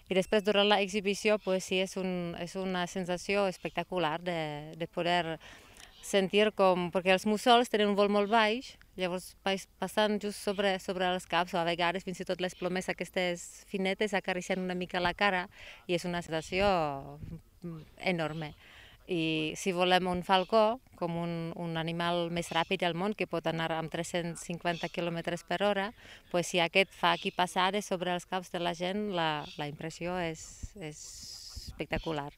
I després, durant l'exhibició, pues, sí, és una sensació espectacular de poder sentir com... Perquè els mussols tenen un vol molt baix, llavors passant just sobre els caps, o a vegades fins i tot les plomes aquestes finetes acariciant una mica la cara, i és una sensació enorme. I si volem un falcó, com un animal més ràpid al món, que pot anar amb 350 km per hora, pues, si aquest fa aquí passades sobre els caps de la gent, la impressió és espectacular.